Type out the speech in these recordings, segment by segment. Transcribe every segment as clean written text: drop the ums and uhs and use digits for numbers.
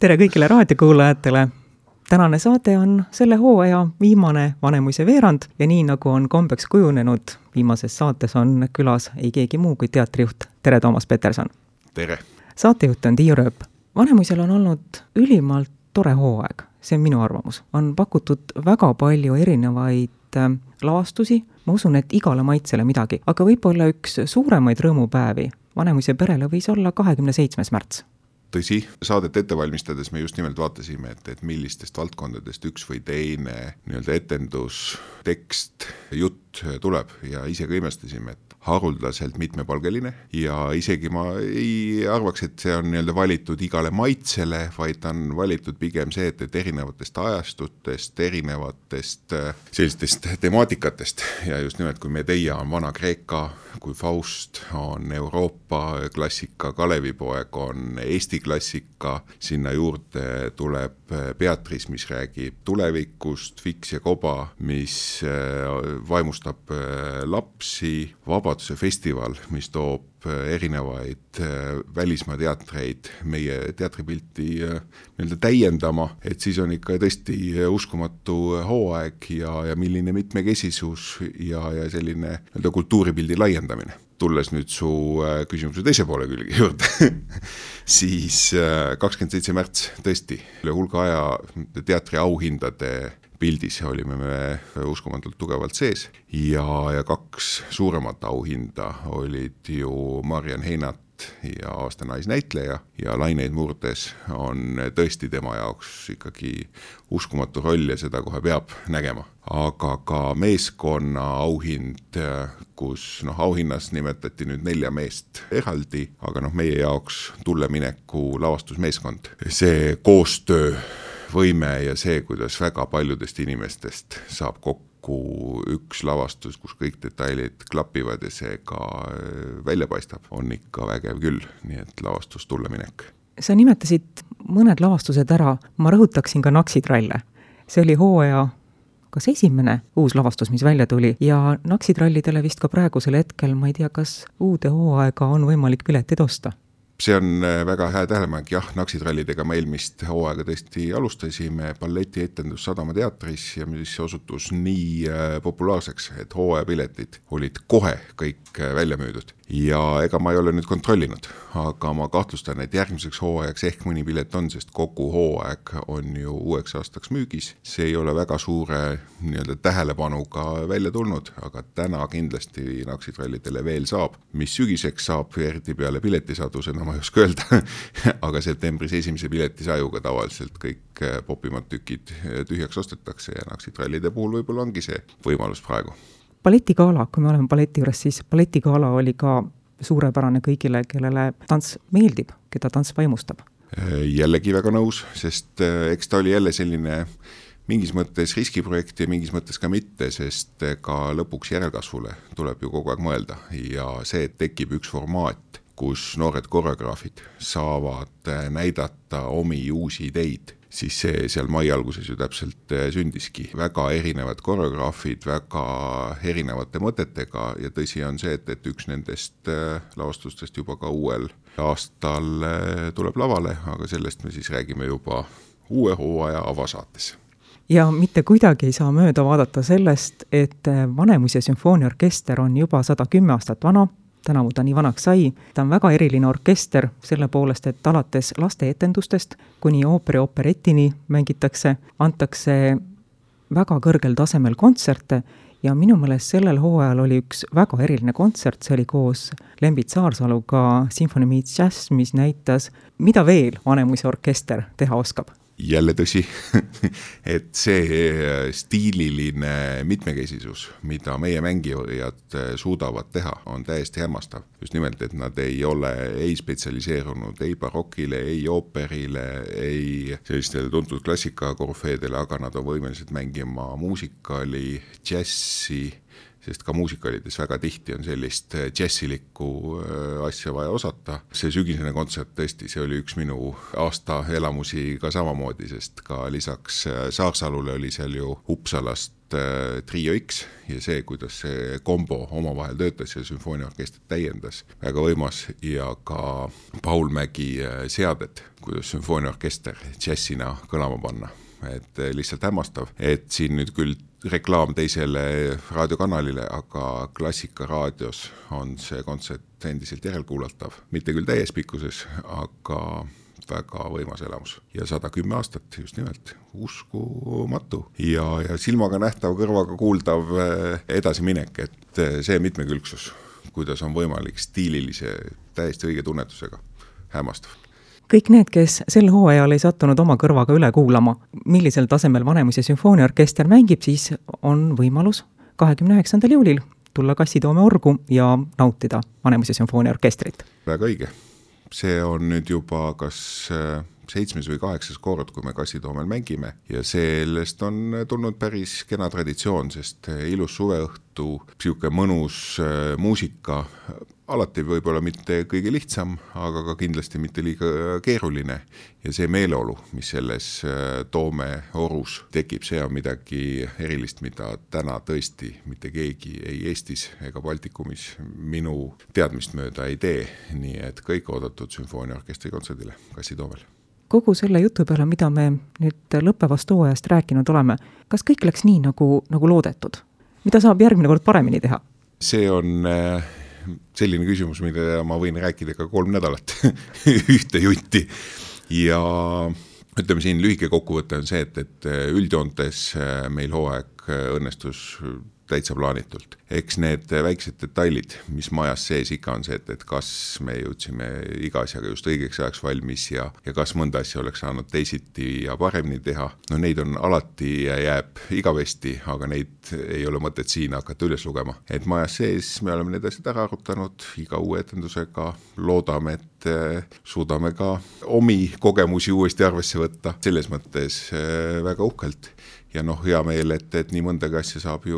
Tere kõigile raadiokuulajatele! Tänane saade on selle hooaja viimane Vanemuise veerand ja nii nagu on kombeks kujunenud, viimases saates on külas ei keegi muu kui teatrijuht. Tere, Toomas Peterson! Tere! Saatejuht on Tiiu Rööp. Vanemuisel on olnud ülimalt tore hooaeg, see on minu arvamus. On pakutud väga palju erinevaid lavastusi, ma usun, et igale maitsele midagi, aga võib-olla üks suuremaid rõõmupäevi Vanemuise perele võis olla 27. märts. Tõsi, saadet ette valmistades me just nimelt vaatasime, et millistest valdkondadest üks või teine etendus, tekst, jutt tuleb ja ise ka imestasime, et haruldaselt mitmepalgeline ja isegi ma ei arvaks, et see on valitud igale maitsele, vaid on valitud pigem see, et erinevatest ajastutest, erinevatest sellistest temaatikatest ja just nimelt kui Medea on Vana-Kreeka, kui Faust on Euroopa klassika, Kalevipoeg on Eesti klassika, sinna juurde tuleb Beatrice, mis räägib tulevikust, Fiks ja Koba, mis vaimustab lapsi, Vabaduse festival, mis toob erinevaid välismaa teatreid meie teatripilti täiendama, et siis on ikka tõesti uskumatu hooaeg ja milline mitmekesisus ja selline kultuuripildi laiendamine. Tulles nüüd su küsimuse teise poole külge juurde, siis 27. märts tõesti üle hulga aja teatri auhindade pildis olime me uskumatult tugevalt sees ja kaks suuremat auhinda olid ju Mariann Heinat ja aasta naisnäitleja ja Laineid murdes on tõesti tema jaoks ikkagi uskumatu roll ja seda kohe peab nägema. Aga ka meeskonna auhind, kus auhinnas nimetati nüüd 4 meest eraldi, aga meie jaoks tullemineku lavastusmeeskond. See koostöö võime ja see, kuidas väga paljudest inimestest saab kokku üks lavastus, kus kõik detailid klapivad ja see ka välja paistab, on ikka vägev küll, nii et lavastus tulleminek. Sa nimetasid mõned lavastused ära, ma rõhutaksin ka Naksitralle. See oli hooaja kas esimene uus lavastus, mis välja tuli ja Naksitrallidele vist ka praegusel hetkel, ma ei tea, kas uude hooaega on võimalik piletid osta. See on väga hea tähelepanek, jah, Naksitrallidega me eelmist hooaega tõesti alustasime balletietendus Sadama teatris ja mis osutus nii populaarseks, et hooajapiletid olid kohe kõik välja müüdud. Ja ega ma ei ole nüüd kontrollinud, aga ma kahtlustan, et järgmiseks hooajaks ehk mõni pilet on, sest kogu hooaeg on ju uueks aastaks müügis. See ei ole väga suure tähelepanuga välja tulnud, aga täna kindlasti Naksitrallidele veel saab. Mis sügiseks saab, eriti peale piletisadusena, ma ei oska öelda, aga septembris esimese piletisajuga tavaliselt kõik popimad tükid tühjaks ostetakse ja Naksitrallide puhul võib-olla ongi see võimalus praegu. Balletigala, kui me oleme balleti juures, siis balletigala oli ka suurepärane kõigile, kellele tants meeldib, keda tants vaimustab. Jällegi väga nõus, sest eks ta oli jälle selline mingis mõttes riskiprojekt ja mingis mõttes ka mitte, sest ka lõpuks järelkasvule tuleb ju kogu aeg mõelda ja see, et tekib üks formaat, kus noored koreograafid saavad näidata omi uusi ideid, siis see seal mai alguses ju täpselt sündiski. Väga erinevad koreograafid, väga erinevate mõtetega ja tõsi on see, et üks nendest lavastustest juba ka uuel aastal tuleb lavale, aga sellest me siis räägime juba uue hooaja avasaates. Ja mitte kuidagi ei saa mööda vaadata sellest, et Vanemuise sümfooniaorkester on juba 110 aastat vana, tänavu ta nii vanaks sai. Ta on väga eriline orkester selle poolest, et alates lasteetendustest kuni ooperi-operettini mängitakse, antakse väga kõrgel tasemel kontserte ja minu meelest sellel hooajal oli üks väga eriline kontsert, see oli koos Lembit Saarsaluga Symphony Meets Jazz, mis näitas, mida veel Vanemuise orkester teha oskab. Jälle tõsi, et see stiililine mitmekesisus, mida meie mängijad suudavad teha, on täiesti hämmastav. Just nimelt, et nad ei ole ei spetsialiseerunud ei barokile, ei ooperile, ei sellistele tuntud klassikakorfeedele, aga nad on võimelised mängima muusikali, džässi, sest ka muusikalides väga tihti on sellist džässilikku asja vaja osata. See sügisene kontsert tõesti, see oli üks minu aasta elamusi ka samamoodi, sest ka lisaks Saarsalule oli seal ju Uppsalast Trio X ja see, kuidas see kombo omavahel töötas ja sümfooniaorkester täiendas, väga võimas, ja ka Paul Mägi seaded, kuidas sümfooniaorkester džässina kõlama panna. Et lihtsalt hämmastav, et siin nüüd küll reklaam teisele raadiokanalile, aga Klassikaraadios on see kontsert endiselt järelkuulatav, mitte küll täies pikkuses, aga väga võimas elamus. Ja 110 aastat just nimelt, uskumatu. Ja silmaga nähtav, kõrvaga kuuldav edasiminek, et see mitmekülgsus, kuidas on võimalik stiililise, täiesti õige tunnetusega, hämmastav. Kõik need, kes sel hooajal ei sattunud oma kõrvaga üle kuulama, millisel tasemel Vanemuise sümfooniaorkester mängib, siis on võimalus 29. juulil tulla Kassitoome orgu ja nautida Vanemuise sümfooniaorkestrit. Väga õige. See on nüüd juba kas 7. või 8. kord, kui me Kassitoomel mängime ja sellest on tulnud päris kena traditsioon, sest ilus suveõhtu, siuke mõnus muusika, alati võib-olla mitte kõige lihtsam, aga ka kindlasti mitte liiga keeruline ja see meeleolu, mis selles Toome orus tekib, see on midagi erilist, mida täna tõesti mitte keegi ei Eestis ega Baltikumis minu teadmist mööda ei tee, nii et kõik oodatud sümfooniaorkestri kontserdile Kassitoomel. Kogu selle jutu peale, mida me nüüd lõppevast hooajast rääkinud oleme, kas kõik läks nii, nagu loodetud? Mida saab järgmine kord paremini teha? See on selline küsimus, mida ma võin rääkida ka 3 nädalat ühte junti ja ütleme siin lühike kokkuvõte on see, et üldjoontes meil hooaeg õnnestus täitsa plaanitult. Eks need väiksed detailid, mis majas sees ikka on see, et kas me jõudsime iga asjaga just õigeks ajaks valmis ja kas mõnda asja oleks saanud teisiti ja paremini teha. No neid on alati ja jääb igavesti, aga neid ei ole mõtet siin hakata üles lugema. Et majas sees me oleme need asjad ära arutanud iga uue etendusega, loodame, et suudame ka omi kogemusi uuesti arvesse võtta. Selles mõttes väga uhkelt. Ja hea meel, et nii mõndagi asja saab ju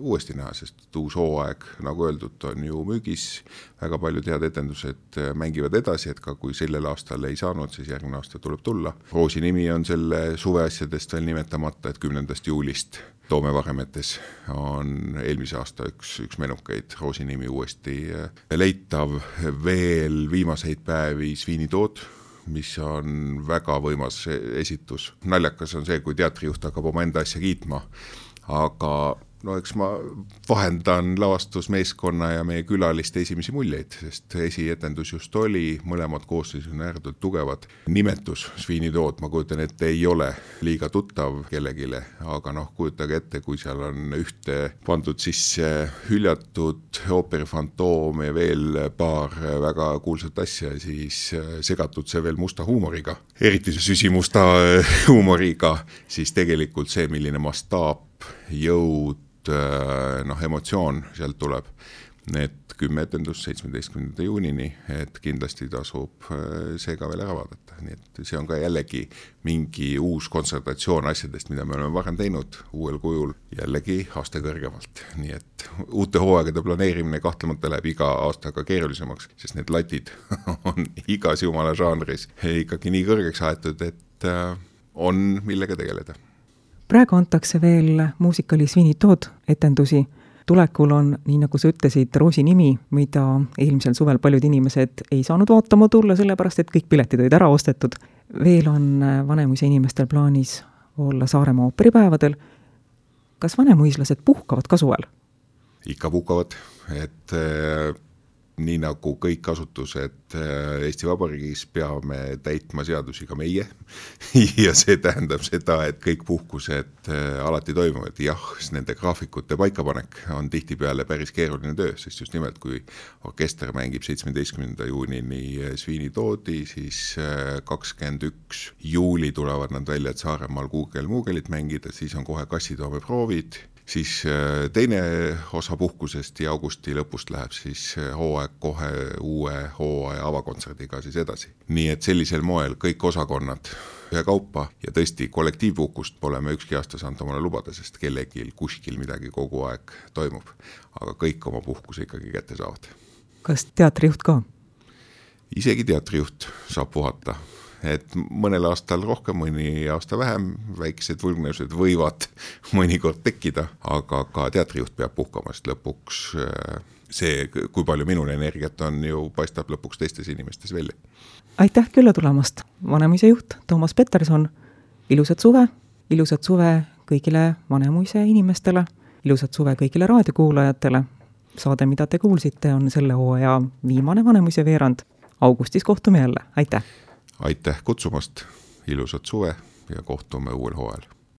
uuesti näha, sest uus hooaeg, nagu öeldud, on ju müügis. Väga paljud head etendused mängivad edasi, et ka kui sellel aastal ei saanud, siis järgmine aasta tuleb tulla. Roosi nimi on selle suveasjadest veel nimetamata, et 10. juulist Toome Varemetes on eelmise aasta üks menukeid. Roosi nimi uuesti leitav, veel viimaseid päevi Sviinitood, mis on väga võimas esitus. Naljakas on see, kui teatrijuht hakkab oma enda asja kiitma, aga eks ma vahendan lavastusmeeskonna ja meie külaliste esimesi muljeid, sest esietendus just oli, mõlemad koosseis on ääretult tugevad. Nimetus Sviinitood, ma kujutan ette, ei ole liiga tuttav kellegile, aga kujutage ette, kui seal on ühte pandud sisse hüljatud ooperi Fantoom ja veel paar väga kuulsat asja, siis segatud see veel musta huumoriga, eriti see süsimusta huumoriga, siis tegelikult see, milline mastaap, jõud, emotsioon sealt tuleb. Need 10 etendust 17. juunini, et kindlasti tasub see ka veel ära vaadata. Nii et see on ka jällegi mingi uus kontsentratsioon asjadest, mida me oleme varem teinud uuel kujul, jällegi aasta kõrgemalt. Nii et uute hooaegade planeerimine kahtlemata läheb iga aastaga keerulisemaks, sest need latid on igas jumala žanris ikkagi nii kõrgeks aetud, et on millega tegeleda. Praegu antakse veel muusikali Sviinitood etendusi. Tulekul on, nii nagu sa ütlesid, Roosi nimi, mida eelmisel suvel paljud inimesed ei saanud vaatama tulla, sellepärast et kõik piletid olid ära ostetud. Veel on Vanemuise inimestel plaanis olla Saaremaa ooperipäevadel. Kas vanemuislased puhkavad ka suvel? Ikka puhkavad, et nii nagu kõik asutused Eesti Vabariigis peame täitma seadusi ka meie ja see tähendab seda, et kõik puhkused alati toimuvad. Jah, nende graafikute paikapanek on tihtipeale päris keeruline töö, sest just nimelt kui orkester mängib 17. juunini Sviinitoodi, siis 21. juuli tulevad nad välja, et Saaremaal Kuugel-Muugelit mängida, siis on kohe Kassitoome proovid. Siis teine osa puhkusest ja augusti lõpust läheb siis hooaeg kohe uue hooaja avakontserdiga siis edasi. Nii et sellisel moel kõik osakonnad ühe kaupa ja tõesti kollektiivpuhkust pole me ükski aasta saanud omale lubada, sest kellegil kuskil midagi kogu aeg toimub. Aga kõik oma puhkuse ikkagi kätte saavad. Kas teatrijuht ka? Isegi teatrijuht saab puhata. et mõnel aastal rohkem, mõni aasta vähem, väiksed vulgnevused võivad mõnikord tekkida, aga ka teatrijuht peab puhkama, sest lõpuks see, kui palju minul energiat on, ju paistab lõpuks teistes inimestes välja. Aitäh külla tulemast, Vanemuise juht Toomas Peterson, ilusat suve kõigile Vanemuise inimestele, ilusat suve kõigile raadiokuulajatele. Saade, mida te kuulsite, on selle hooaja viimane Vanemuise veerand. Augustis kohtume jälle, aitäh! Aitäh kutsumast, ilusat suve ja kohtume uuel hooajal!